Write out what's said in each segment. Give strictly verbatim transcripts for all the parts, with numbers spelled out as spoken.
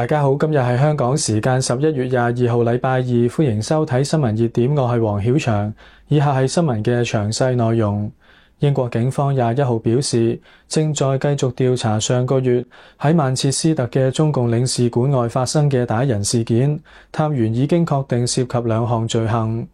大家好，今日係香港時間十一月廿二號禮拜二，歡迎收睇新聞熱點，我係黃曉翔。以下係新聞嘅詳細內容。英國警方廿一號表示，正在繼續調查上個月喺曼徹斯特嘅中共領事館外發生嘅打人事件，探員已經確定涉及兩項罪行。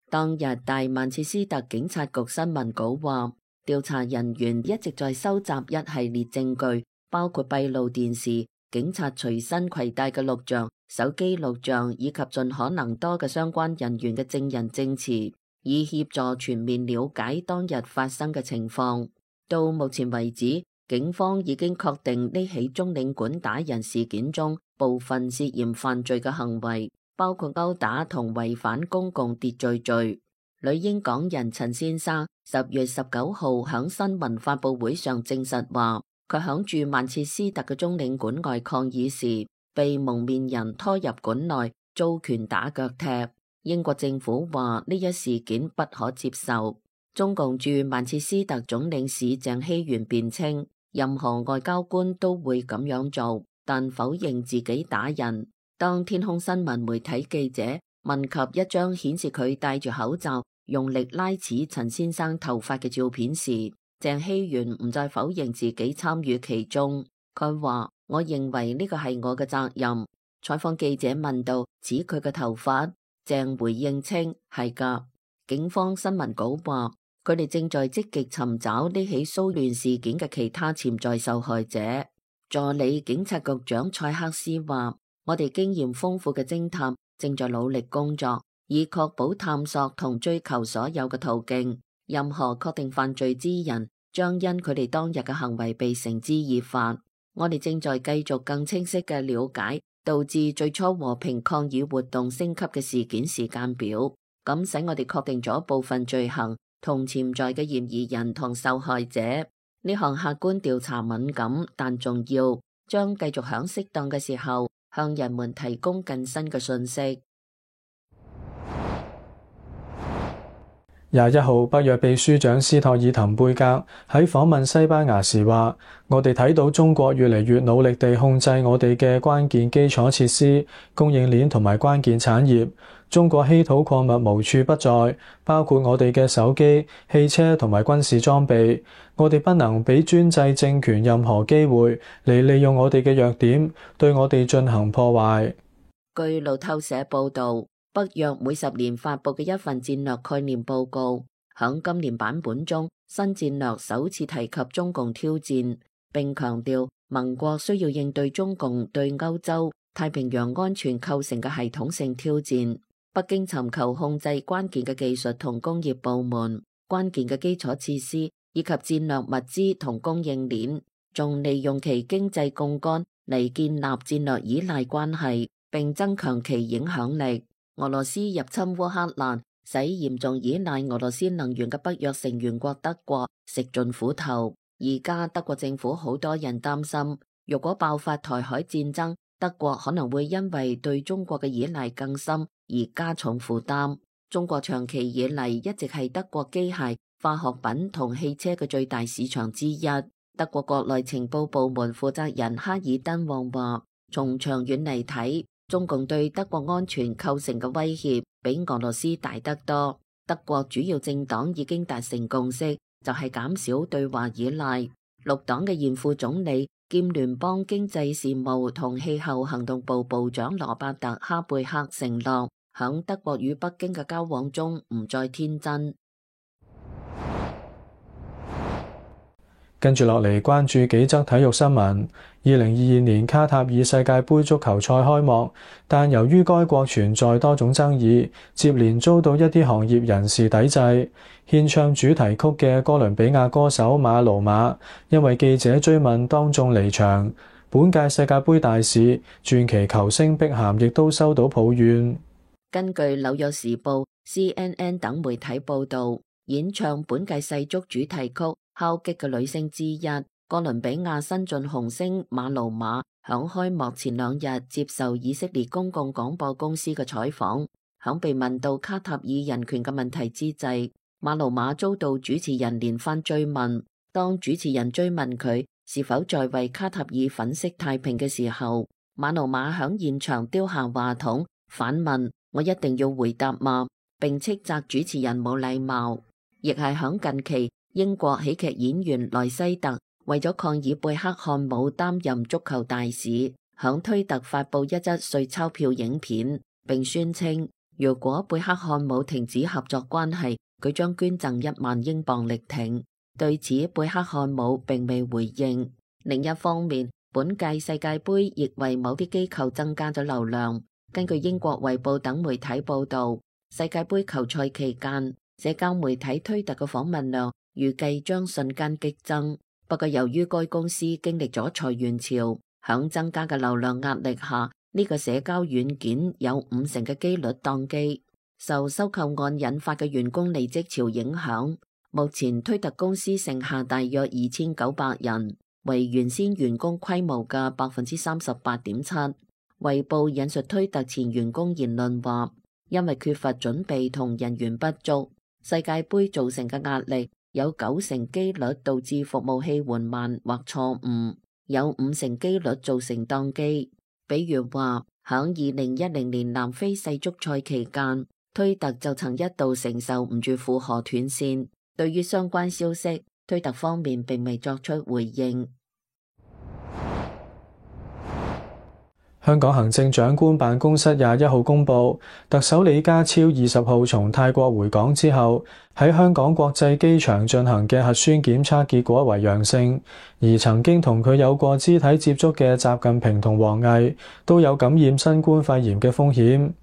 當日大曼徹斯特警察局新聞稿話，調查人員一直在收集一系列證據，包括閉路電視、警察隨身攜帶嘅錄像、手機錄像以及盡可能多嘅相關人員嘅證人證詞，以協助全面了解當日發生嘅情況。到目前為止，警方已經確定呢起中領館打人事件中部分涉嫌犯罪嘅行為，包括毆打同違反公共秩序罪。女英港人陳先生十月十九號響新聞發佈會上證實話，佢響駐曼徹斯特嘅中領館外抗議時，被蒙面人拖入館內，遭拳打腳踢。英國政府話呢一事件不可接受。中共駐曼徹斯特總領事鄭希元辯稱，任何外交官都會咁樣做，但否認自己打人。當天空新聞媒體記者問及一張顯示佢戴住口罩，用力拉扯陳先生頭髮嘅照片時，鄭希元唔再否認自己參與其中。佢話：我認為呢個係我嘅責任。採訪記者問到指佢嘅頭髮，鄭回應稱係㗎。警方新聞稿話，佢哋正在積極尋找呢起騷亂事件嘅其他潛在受害者。助理警察局長蔡克斯話：我哋經驗豐富嘅偵探正在努力工作，以確保探索同追求所有嘅途徑。任何確定犯罪之人將因佢哋當日嘅行為被繩之以法。我哋正在繼續更清晰嘅了解導致最初和平抗議活動升級嘅事件時間表，咁使我哋確定咗部分罪行同潛在嘅嫌疑人同受害者。呢項客觀調查敏感但重要，將繼續響適當嘅時候向人們提供更新嘅信息。廿一號，北約秘書長斯托爾滕貝格喺訪問西班牙時話：我哋睇到中國越嚟越努力地控制我哋嘅關鍵基礎設施、供應鏈同埋關鍵產業。中國稀土礦物無處不在，包括我哋嘅手機、汽車同埋軍事裝備。我哋不能俾專制政權任何機會嚟利用我哋嘅弱點，對我哋進行破壞。據路透社報導，北約每十年發佈嘅一份戰略概念報告，響今年版本中，新戰略首次提及中共挑戰，並強調盟國需要應對中共對歐洲、太平洋安全構成嘅系統性挑戰。北京尋求控制關鍵嘅技術同工業部門、關鍵嘅基礎設施以及戰略物資同供應鏈，仲利用其經濟槓桿嚟建立戰略依賴關係，並增強其影響力。俄羅斯入侵烏克蘭，使嚴重依賴俄羅斯能源嘅北約成員國德國食盡苦頭。而家德國政府好多人擔心，如果爆發台海戰爭，德國可能會因為對中國嘅依賴更深而加重負擔。中國長期以嚟一直係德國機械、化學品同汽車嘅最大市場之一。德國國內情報部門負責人哈爾登旺話：從長遠嚟睇，中共對德國安全構成嘅威脅比俄羅斯大得多。德國主要政黨已經達成共識，就係減少對華依賴。綠黨嘅現副總理兼聯邦經濟事務同氣候行動部部長羅伯特·哈貝克承諾，響德國與北京嘅交往中唔再天真。跟住落嚟關注幾則體育新聞。二零二二年卡塔爾世界盃足球賽開幕，但由於該國存在多種爭議，接連遭到一啲行業人士抵制。獻唱主題曲嘅哥倫比亞歌手馬魯馬，因為記者追問當眾離場。本屆世界盃大使傳奇球星碧咸亦都收到抱怨。根據紐約時報、C N N 等媒體報道，演唱本屆世足主題曲敲擊嘅女星之一，哥倫比亞新晉紅星馬魯馬響開幕前兩日接受以色列公共廣播公司嘅採訪，響被問到卡塔爾人權嘅問題之際，馬魯馬遭到主持人連番追問。當主持人追問佢是否在為卡塔爾粉飾太平嘅時候，馬努馬響現場丟下話筒，反問：我一定要回答嗎？並斥責主持人冇禮貌。亦係響近期，英國喜劇演員萊西特為咗抗議貝克漢姆擔任足球大使，響推特發布一則碎鈔票影片，並宣稱如果貝克漢姆停止合作關係，佢將捐贈一萬英鎊力挺。對此，貝克漢姆並未回應。另一方面，本屆世界盃亦為某啲機構增加咗流量。根據英國衛報等媒體報道，世界盃球賽期間，社交媒體推特嘅訪問量預計將瞬間激增。不過由於該公司經歷咗裁員潮，響增加嘅流量壓力下，呢個社交軟件有五成嘅機率宕機。受收購案引發嘅員工離職潮影響，目前推特公司剩下大約二千九百人，為原先員工規模嘅百分之三十八點七。衛報引述推特前員工言論話，因為缺乏準備同人員不足，世界盃造成嘅壓力有九成機率導致服務器緩慢或錯誤，有五成機率造成宕機。比如話，響二零一零年南非世足賽期間，推特就曾一度承受唔住負荷斷線。對於相關消息，推特方面並未作出回應。香港行政長官辦公室廿一號公佈，特首李家超二十號從泰國回港之後，喺香港國際機場進行嘅核酸檢測結果為陽性，而曾經同佢有過肢體接觸嘅習近平同王毅都有感染新冠肺炎嘅風險。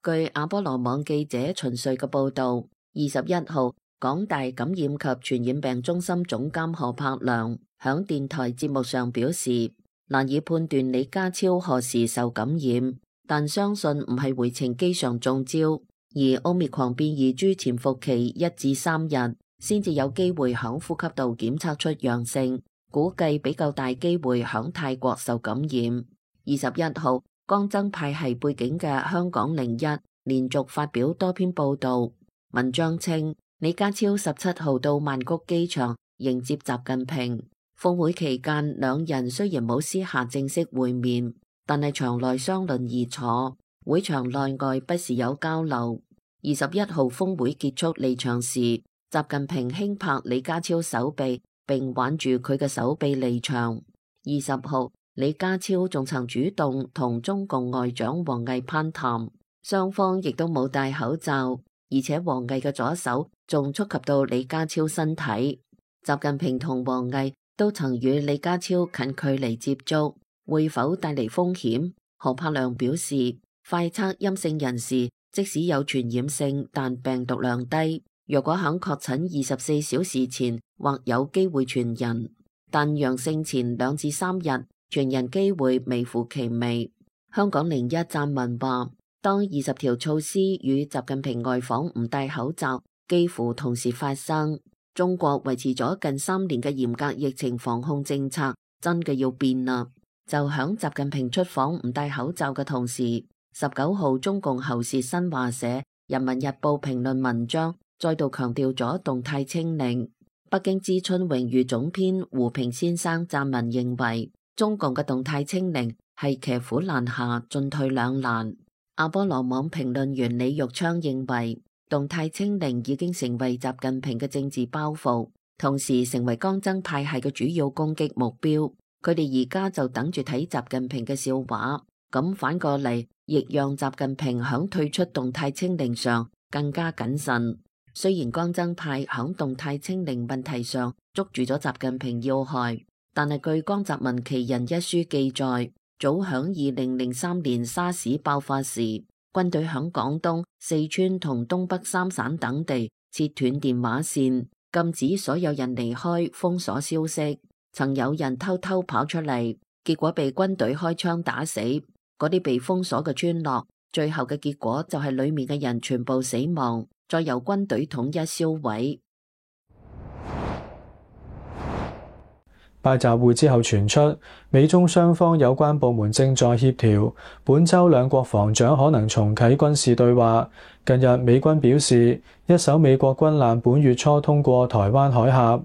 據阿波羅網記者秦瑞嘅報導，二十一號，港大感染及傳染病中心總監何柏良響電台節目上表示，難以判斷李家超何時受感染，但相信唔係回程機上中招，而奧密克戎變異株潛伏期一至三日，先至有機會響呼吸道檢測出陽性，估計比較大機會響泰國受感染。二十一號，江增派系背景嘅香港零一連續發表多篇報道，文章稱李家超十七號到曼谷機場迎接習近平。峰會期間，兩人雖然冇私下正式會面，但係場內相鄰而坐，會場內外不時有交流。二十一號峰會結束離場時，習近平輕拍李家超手臂，並挽住佢嘅手臂離場。二十號，李家超仲曾主動同中共外長王毅攀談，雙方亦都冇戴口罩，而且王毅嘅左手仲觸及到李家超身體。習近平同王毅都曾與李家超近距離接觸，會否帶嚟風險？何柏良表示，快測陰性人士即使有傳染性，但病毒量低，若果響確診二十四小時前或有機會傳人，但陽性前兩至三日傳人機會微乎其微。香港零一撰文話，當二十條措施與習近平外訪唔戴口罩幾乎同時發生，中國維持咗近三年嘅嚴格疫情防控政策真嘅要變啦！就響習近平出訪唔戴口罩嘅同時，十九號中共喉舌新華社《人民日報》評論文章再度強調咗動態清零。北京知春榮譽總編胡平先生撰文認為，中共嘅動態清零係騎虎難下，進退兩難。阿波羅網評論員李玉昌認為，動態清零已經成為習近平嘅政治包袱，同時成為江增派系嘅主要攻擊目標。佢哋而家就等住睇習近平嘅笑話，咁反過嚟亦讓習近平響退出動態清零上更加謹慎。雖然江增派響動態清零問題上捉住咗習近平要害，但係據江澤民其人一書記載，早響二零零三年沙士爆發時，軍隊響廣東、四川同東北三省等地切斷電話線，禁止所有人離開，封鎖消息。曾有人偷偷跑出嚟，結果被軍隊開槍打死。嗰啲被封鎖嘅村落，最後嘅結果就係裏面嘅人全部死亡，再由軍隊統一銷毀。拜習會之後傳出，美中雙方有關部門正在協調，本週兩國防長可能重啟軍事對話。近日美軍表示，一艘美國軍艦本月初通過台灣海峽。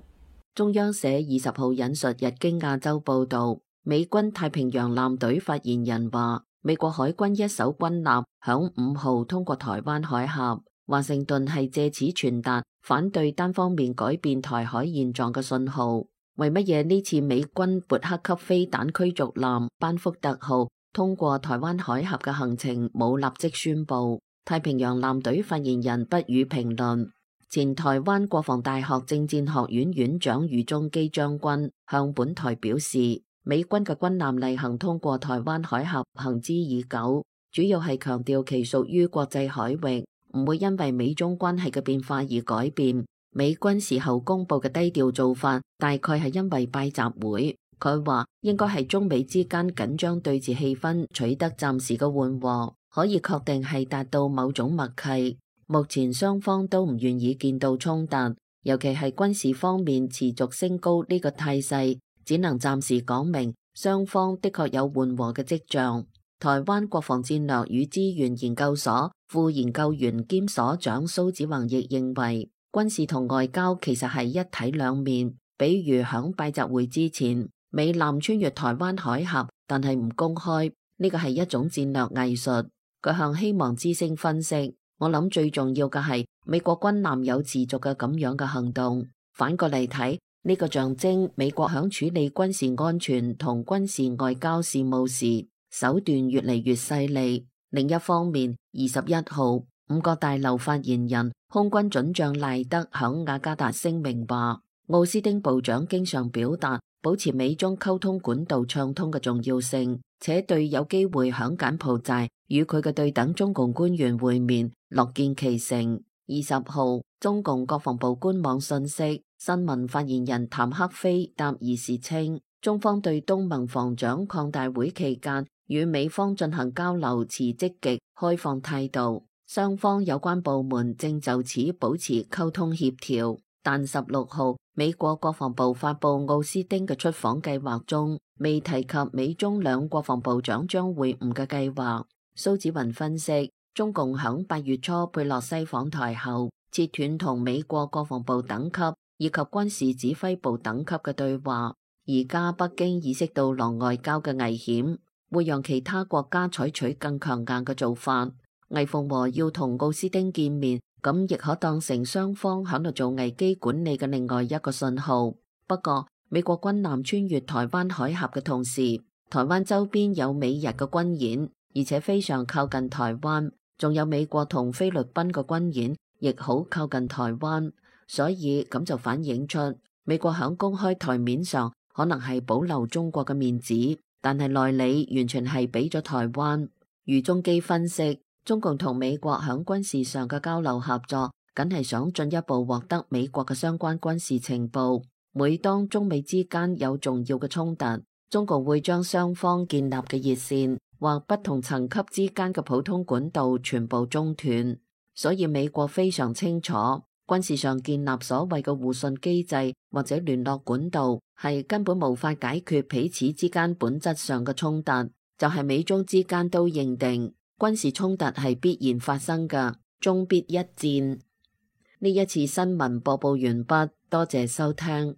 中央社二十號引述日經亞洲報導，美軍太平洋艦隊發言人話，美國海軍一艘軍艦響五號通過台灣海峽，華盛頓係借此傳達反對單方面改變台海現狀嘅信號。為乜嘢呢次美軍勃克級飛彈驅逐艦班福特號通過台灣海峽嘅行程冇立即宣佈？太平洋艦隊發言人不予評論。前台灣國防大學政戰學院院長余宗基將軍向本台表示，美軍嘅軍艦例行通過台灣海峽行之已久，主要係強調其屬於國際海域，唔會因為美中關係嘅變化而改變。美軍事後公佈嘅低調做法，大概係因為拜習會。佢話應該係中美之間緊張對峙氣氛取得暫時嘅緩和，可以確定係達到某種默契。目前雙方都唔願意見到衝突，尤其係軍事方面持續升高呢個態勢，只能暫時講明雙方的確有緩和嘅跡象。台灣國防戰略與資源研究所副研究員兼所長蘇子宏亦認為，軍事同外交其實係一體兩面。比如響拜習會之前，美艦穿越台灣海峽，但係唔公開，呢個係一種戰略藝術。佢向希望之聲分析，我諗最重要嘅係美國軍艦有持續嘅咁樣嘅行動。反過嚟睇，呢個象徵美國響處理軍事安全同軍事外交事務時手段越嚟越犀利。另一方面，二十一號五角大樓發言人空軍准將賴德響雅加達聲明話，奧斯汀部長經常表達保持美中溝通管道暢通嘅重要性，且對有機會響柬埔寨與佢嘅對等中共官員會面樂見其成。二十號，中共國防部官網信息，新聞發言人譚克非答疑時稱，中方對東盟防長擴大會期間與美方進行交流持積極開放態度，雙方有關部門正就此保持溝通協調。但十六號，美國國防部發布奧斯汀嘅出訪計劃中，未提及美中兩國防部長將會晤嘅計劃。蘇子雲分析，中共響八月初佩洛西訪台後，切斷同美國國防部等級以及軍事指揮部等級嘅對話。而家北京意識到狼外交嘅危險，會讓其他國家採取更強硬嘅做法。魏鳳和要同奧斯汀見面，咁亦可當成雙方喺度做危機管理嘅另外一個信號。不過，美國軍艦穿越台灣海峽嘅同時，台灣周邊有美日嘅軍演，而且非常靠近台灣，仲有美國同菲律賓嘅軍演，亦好靠近台灣。所以咁就反映出美國喺公開台面上可能係保留中國嘅面子，但係內裏完全係俾咗台灣。余宗基分析，中共同美國喺軍事上嘅交流合作，梗係想進一步獲得美國嘅相關軍事情報。每當中美之間有重要嘅衝突，中共會將雙方建立嘅熱線或不同層級之間嘅普通管道全部中斷。所以美國非常清楚，軍事上建立所謂嘅互信機制或者聯絡管道，係根本無法解決彼此之間本質上嘅衝突。就係美中之間都認定軍事衝突係必然發生嘅，終必一戰。呢一次新聞播報完畢，多謝收聽。